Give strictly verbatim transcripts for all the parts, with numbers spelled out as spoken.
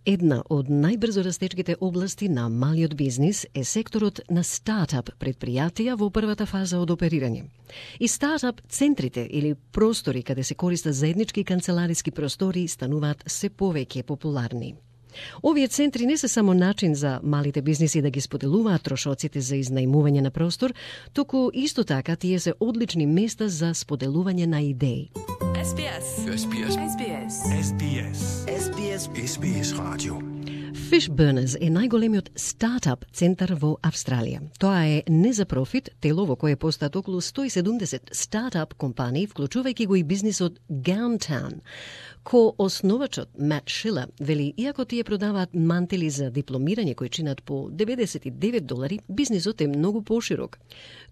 Една од најбрзо растечките области на малиот бизнис е секторот на стартап предпријатија во првата фаза од оперирање. И стартап центрите или простори каде се користат заеднички канцелариски простори стануваат се повеќе популарни. Овие центри не се само начин за малите бизниси да ги споделуваат трошоците за изнајмување на простор, туку исто така тие се одлични места за споделување на идеи. S B S. S B S. S B S. S B S. S B S. S B S Radio. Fishburners е најголемиот стартап центар во Австралија. Тоа е не за профит тело во кое постаат околу сто и седумдесет стартап компании, вклучувајќи го и бизнисот Gowntown. Ко основачот Мат Шилер вели, иако тие продаваат мантели за дипломирање кои чинат по деветдесет и девет долари, бизнисот е многу поширок.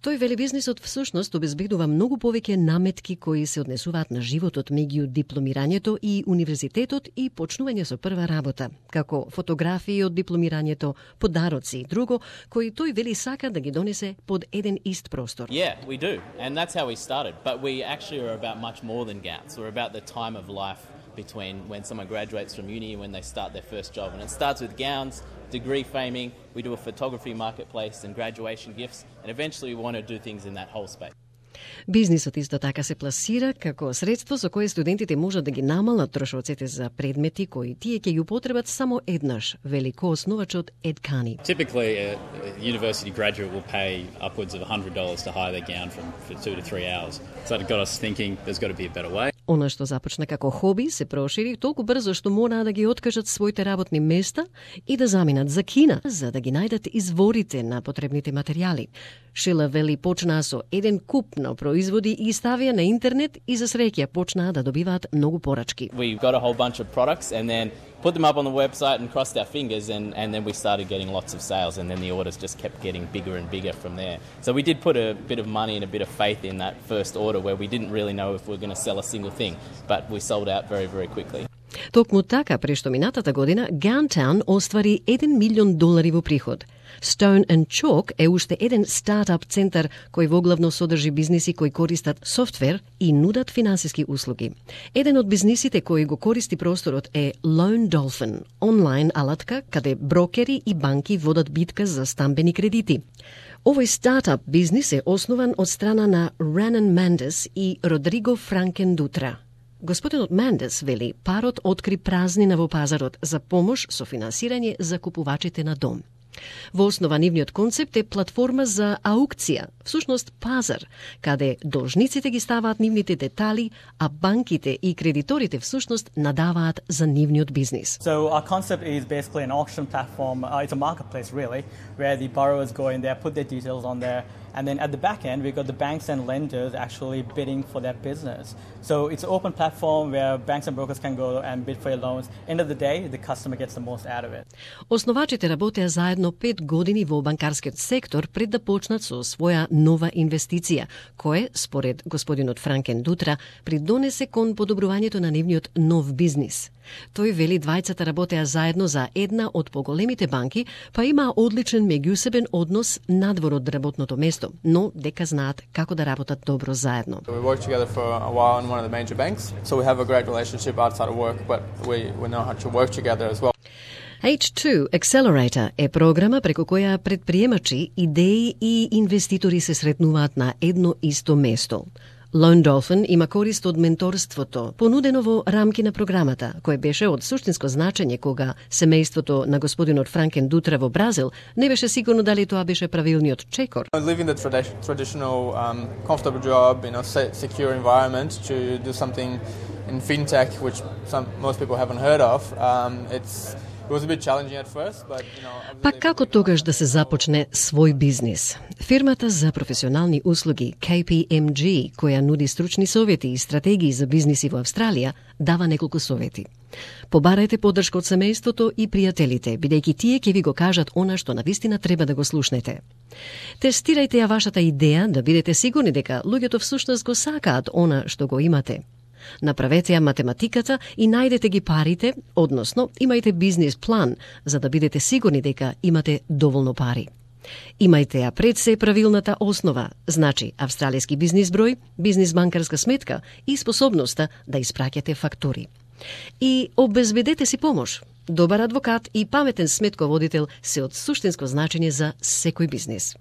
Тој вели бизнисот всушност обезбедува многу повеќе наметки кои се однесуваат на животот меѓу дипломирањето и универзитетот и почнување со прва работа, како фотографии од дипломирањето, подароци и друго, кои тој вели сака да ги донесе под еден ист простор. Yeah, we do. And that's how we started. But we actually are about much more than gowns. We're about the time of life between when someone graduates from uni and when they start their first job. And it starts with gowns, degree faming, we do a photography marketplace and graduation gifts, and eventually we want to do things in that whole space. Бизнисот исто така се пласира како средство со кое студентите можат да ги намалат трошоците за предмети кои тие ќе ги употребат само еднаш, вели ко-основачот Ед Кани. Typically, a university graduate will pay upwards of one hundred dollars to hire their gown from for two to three hours. So it got us thinking there's got to be a better way. Она што започна како хоби се прошири толку брзо што мора да ги откажат своите работни места и да заминат за Кина за да ги најдат изворите на потребните материјали. Шила вели почнаа со еден куп на производи и ставија на интернет и за среќа почнаа да добиваат многу порачки. We got a whole bunch of products and then put them up on the website and crossed our fingers and, and then we started getting lots of sales and then the orders just kept getting bigger and bigger from there. So we did put a bit of money and a bit of faith in that first order where we didn't really know if we were going to sell a single thing, but we sold out very, very quickly. Токму така, прешто минатата година, Gowntown оствари еден милион долари во приход. Stone and Chalk е уште еден стартап центар кој воглавно содржи бизниси кои користат софтвер и нудат финансиски услуги. Еден од бизнисите кои го користи просторот е Loan Dolphin, онлайн алатка каде брокери и банки водат битка за стамбени кредити. Овој стартап бизнис е основан од страна на Ранан Мандес и Родриго Франкен Дутра. Господинот Мандес вели, парот откри празнина во пазарот за помош со финансирање за купувачите на дом. Во основа нивниот концепт е платформа за аукција, всушност пазар, каде должниците ги ставаат нивните детали, а банките и кредиторите всушност надаваат за нивниот бизнис. So our concept is basically an auction platform. Uh, it's a marketplace really, where the borrowers go in there, put their details on there, and then at the back end, we've got the banks and lenders actually bidding for that business. So it's an open platform where banks and brokers can go and bid for your loans. End of the day, the customer gets the most out of it. Основачите работеа заедно пет години во банкарскиот сектор пред да почнат со своја нова инвестиција, кое, според господинот Франкен Дутра, придонесе кон подобрувањето на нивниот нов бизнис. Тој вели двајцата работеа заедно за една од поголемите банки, па има одличен меѓусебен однос надвор од работното место, но дека знаат како да работат добро заедно. We worked together for a while in one of the major banks, so we have a great relationship outside of work, but we, we know how to work together as well. H two Accelerator е програма преку која предприемачи, идеи и инвеститори се сретнуваат на едно исто место. Loan Dolphin има корист од менторството, понудено во рамки на програмата, кој беше од суштинско значење кога семејството на господинот Франкен Дутра во Бразил не беше сигурно дали тоа беше правилниот чекор. Living the tradi- traditional um, comfortable job in a secure environment to do something in fintech, which some most people haven't heard of, um, it's It was a bit challenging at first, but you know. Па како тогаш да се започне свој бизнис? Фирмата за професионални услуги K P M G, која нуди стручни совети и стратегии за бизниси во Австралија, дава неколку совети. Побарајте поддршка од семејството и пријателите, бидејќи тие ќе ви го кажат она што навистина треба да го слушнете. Тестирајте ја вашата идеја да бидете сигурни дека луѓето всушност го сакаат она што го имате. Направете ја математиката и најдете ги парите, односно имајте бизнис план за да бидете сигурни дека имате доволно пари. Имајте ја пред се правилната основа, значи австралијски бизнис број, бизнис банкарска сметка и способноста да испраќате фактури. И обезбедете си помош. Добар адвокат и паметен сметководител се од суштинско значење за секој бизнис.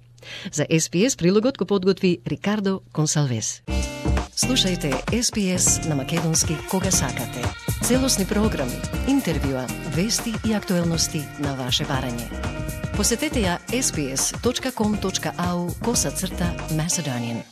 За Ес Би Ес прилогот го подготви Рикардо Консалвес. Слушајте Ес Би Ес на македонски кога сакате. Целосни програми, интервјуа, вести и актуелности на ваше барање. Посетете ја ес би ес точка ком точка ау косацрта Macedonian.